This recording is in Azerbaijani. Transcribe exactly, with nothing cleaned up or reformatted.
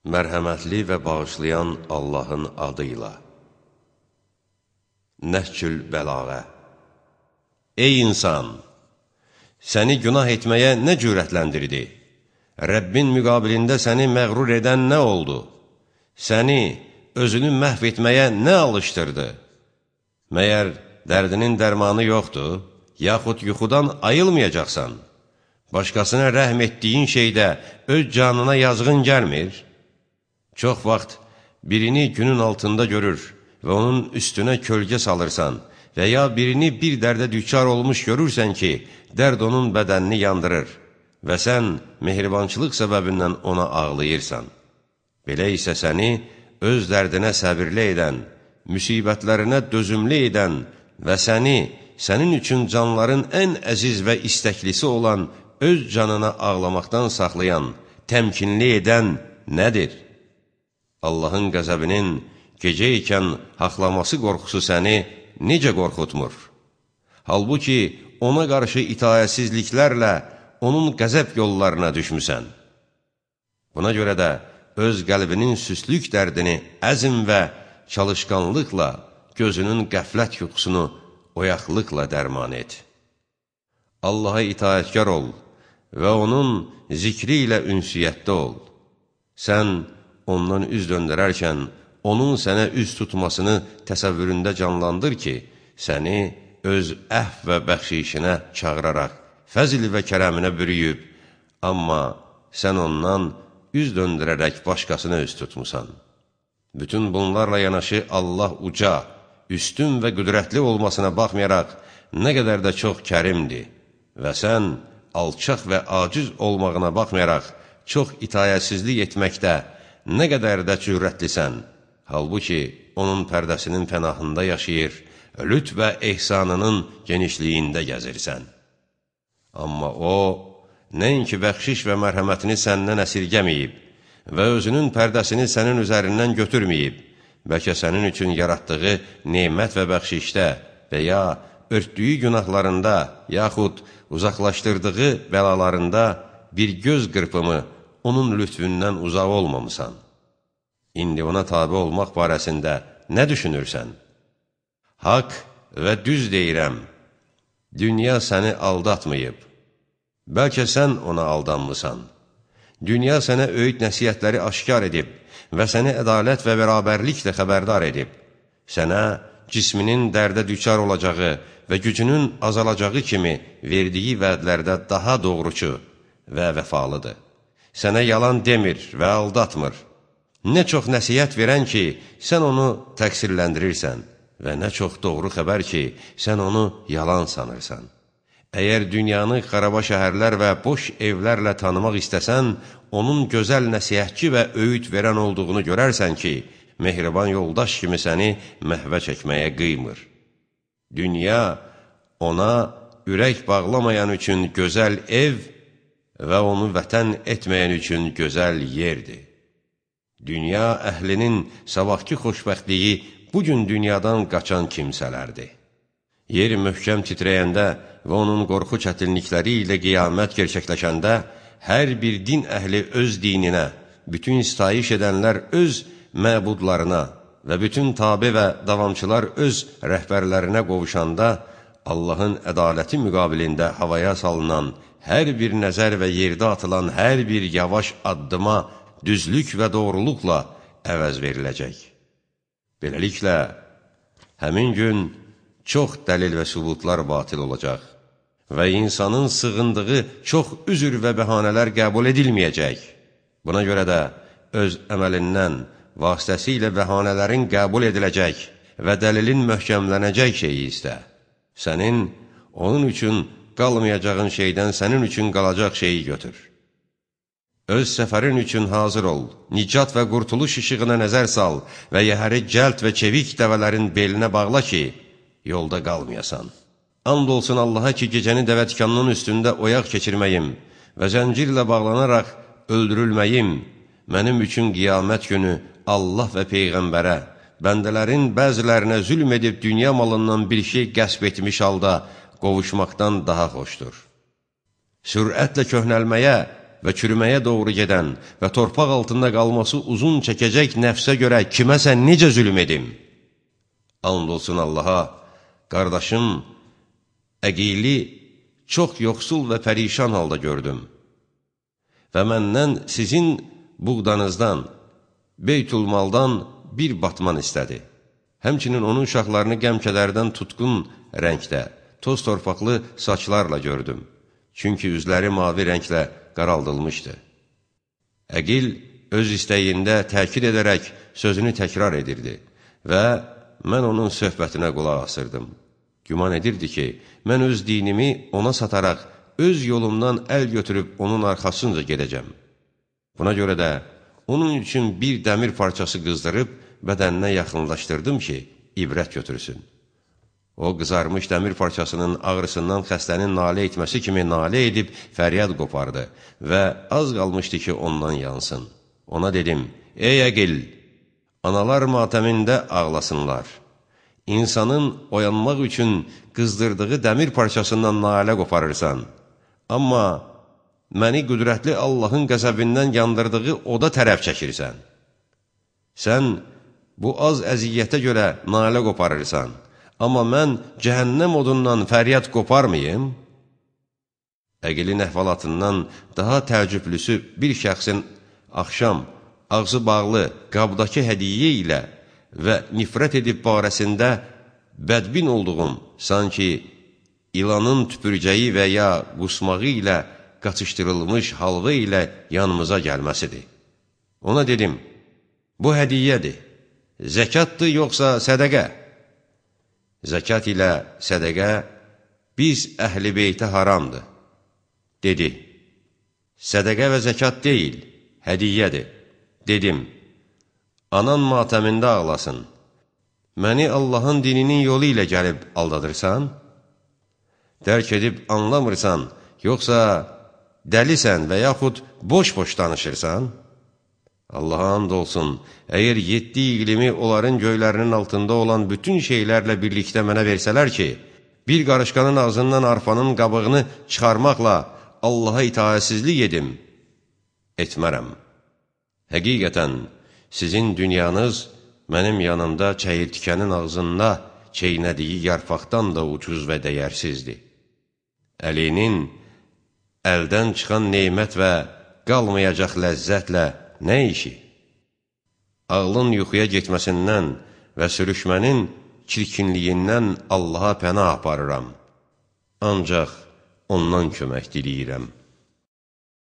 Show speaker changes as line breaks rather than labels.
Mərhəmətli və bağışlayan Allahın adıyla. Nəhcül Bəlağə. Ey insan! Səni günah etməyə nə cürətləndirdi? Rəbbin müqabilində səni məğrur edən nə oldu? Səni özünü məhv etməyə nə alışdırdı? Məyər dərdinin dərmanı yoxdur, yaxud yuxudan ayılmayacaqsan? Başqasına rəhm etdiyin şeydə öz canına yazğın gəlmir? Çox vaxt birini günün altında görür və onun üstünə kölgə salırsan və ya birini bir dərdə düçar olmuş görürsən ki, dərd onun bədənini yandırır və sən mehribançılıq səbəbindən ona ağlayırsan. Belə isə səni öz dərdinə səbirli edən, müsibətlərinə dözümlü edən və səni sənin üçün canların ən əziz və istəklisi olan öz canına ağlamaqdan saxlayan, təmkinli edən nədir? Allahın qəzəbinin gecə ikən haqlaması qorxusu səni necə qorxutmur? Halbuki ona qarşı itayətsizliklərlə onun qəzəb yollarına düşmüsən. Buna görə də öz qəlbinin süslük dərdini əzm və çalışqanlıqla, gözünün qəflət yuxusunu oyaqlıqla dərman et. Allaha itayətkar ol və onun zikri ilə ünsiyyətdə ol. Sən ondan üz döndərərkən, onun sənə üz tutmasını təsəvvüründə canlandır ki, səni öz əhv və bəxşişinə çağıraraq, fəzil və kərəminə bürüyüb, amma sən ondan üz döndərərək başqasına üz tutmusan. Bütün bunlarla yanaşı Allah uca, üstün və qüdrətli olmasına baxmayaraq, nə qədər də çox kərimdir və sən alçaq və aciz olmağına baxmayaraq, çox itayətsizlik etməkdə nə qədər də cürətlisən, halbuki onun pərdəsinin pənahında yaşayır, lütf və ehsanının genişliyində gəzirsən. Amma o, nəinki bəxşiş və mərhəmətini səndən əsirgəməyib və özünün pərdəsini sənin üzərindən götürməyib, bəlkə sənin üçün yaratdığı nemət və bəxşişdə və ya örtdüyü günahlarında, yaxud uzaqlaşdırdığı bəlalarında bir göz qırpımı onun lütfündən uzaq olmamısan. İndi ona tabi olmaq barəsində nə düşünürsən? Haqq və düz deyirəm, dünya səni aldatmayıb. Bəlkə sən ona aldanmısan. Dünya sənə öyüd nəsiyyətləri aşkar edib və səni ədalət və bərabərliklə xəbərdar edib. Sənə cisminin dərdə düçar olacağı və gücünün azalacağı kimi verdiyi vədlərdə daha doğrucu və vəfalıdır. Sənə yalan demir və aldatmır. Nə çox nəsiyyət verən ki, sən onu təqsirləndirirsən və nə çox doğru xəbər ki, sən onu yalan sanırsan. Əgər dünyanı xaraba şəhərlər və boş evlərlə tanımaq istəsən, onun gözəl nəsihətçi və öyüd verən olduğunu görərsən ki, mehriban yoldaş kimi səni məhvə çəkməyə qıymır. Dünya ona ürək bağlamayan üçün gözəl ev və onu vətən etməyən üçün gözəl yerdir. Dünya əhlinin sabahki xoşbəxtliyi bugün dünyadan qaçan kimsələrdir. Yer möhkəm titrəyəndə və onun qorxu çətinlikləri ilə qiyamət gerçəkləşəndə, hər bir din əhli öz dininə, bütün istayiş edənlər öz məbudlarına və bütün tabe və davamçılar öz rəhbərlərinə qovuşanda, Allahın ədaləti müqabilində havaya salınan hər bir nəzər və yerdə atılan hər bir yavaş addıma düzlük və doğruluqla əvəz veriləcək. Beləliklə, həmin gün çox dəlil və sübutlar batil olacaq və insanın sığındığı çox üzür və bəhanələr qəbul edilməyəcək. Buna görə də öz əməlindən vasitəsilə bəhanələrin qəbul ediləcək və dəlilin möhkəmlənəcək şeyi istə. Sənin onun üçün qalmayacağın şeydən sənin üçün qalacaq şeyi götür. Öz səfərin üçün hazır ol, nicat və qurtuluş işığına nəzər sal və yəhəri cəld və çevik dəvələrin belinə bağla ki, yolda qalmayasan. And olsun Allaha ki, gecəni dəvətkanının üstündə oyaq keçirməyim və zəncirlə bağlanaraq öldürülməyim, mənim üçün qiyamət günü Allah və Peyğəmbərə, bəndələrin bəzilərinə zülm edib dünya malından bir şey qəsb etmiş halda qovuşmaqdan daha xoşdur. Sürətlə köhnəlməyə və çürüməyə doğru gedən və torpaq altında qalması uzun çəkəcək nəfsə görə kiməsə necə zülm edim? And olsun Allaha, qardaşım Əqili çox yoxsul və pərişan halda gördüm və məndən sizin buğdanızdan, Beytülmaldan bir batman istədi. Həmçinin onun uşaqlarını qəm-kədərdən tutqun rəngdə, toz torpaqlı saçlarla gördüm. Çünki üzləri mavi rənglə qaraldılmışdı. Əqil öz istəyində təkid edərək sözünü təkrar edirdi və mən onun söhbətinə qulaq asırdım. Güman edirdi ki, mən öz dinimi ona sataraq, öz yolumdan əl götürüb onun arxasınca gedəcəm. Buna görə də onun üçün bir dəmir parçası qızdırıb bədəninə yaxınlaşdırdım ki, ibrət götürsün. O, qızarmış dəmir parçasının ağrısından xəstənin nalə etməsi kimi nalə edib fəryad qopardı və az qalmışdı ki, ondan yansın. Ona dedim, ey Əqil, analar matəmində ağlasınlar. İnsanın oyanmaq üçün qızdırdığı dəmir parçasından nalə qoparırsan. Amma məni qüdrətli Allahın qəzəbindən yandırdığı oda tərəf çəkirsən. Sən bu az əziyyətə görə nalə qoparırsan. Amma mən cəhənnəm odundan fəryad qoparmayım? Əqilin əhvalatından daha təəccüblüsü bir şəxsin axşam ağzı bağlı qabdakı hədiyyə ilə və nifrət edib barəsində bədbin olduğum, sanki ilanın tüpürcəyi və ya qusmağı ilə qaçışdırılmış halva ilə yanımıza gəlməsidir. Ona dedim, bu hədiyyədir, zəkatdır yoxsa sədəqə? Zəkat ilə sədəqə biz əhl-i beytə haramdır. Dedi, sədəqə və zəkat deyil, hədiyyədir. Dedim, anan matəmində ağlasın. Məni Allahın dininin yolu ilə gəlib aldadırsan? Dərk edib anlamırsan, yoxsa dəlisən və yaxud boş-boş danışırsan? Allaha and olsun, əgər yeddi iqlimi onların göylərinin altında olan bütün şeylərlə birlikdə mənə versələr ki, bir qarışqanın ağzından arpanın qabığını çıxarmaqla Allaha itaətsizlik edim, etmərəm. Həqiqətən, sizin dünyanız mənim yanımda çəyirtkənin ağzında çeynədiyi yarpaqdan da ucuz və dəyərsizdir. Əlinin əldən çıxan neymət və qalmayacaq ləzzətlə nə işi? Ağlın yuxuya getməsindən və sürüşmənin çirkinliyindən Allaha pənah aparıram. Ancaq ondan kömək diləyirəm.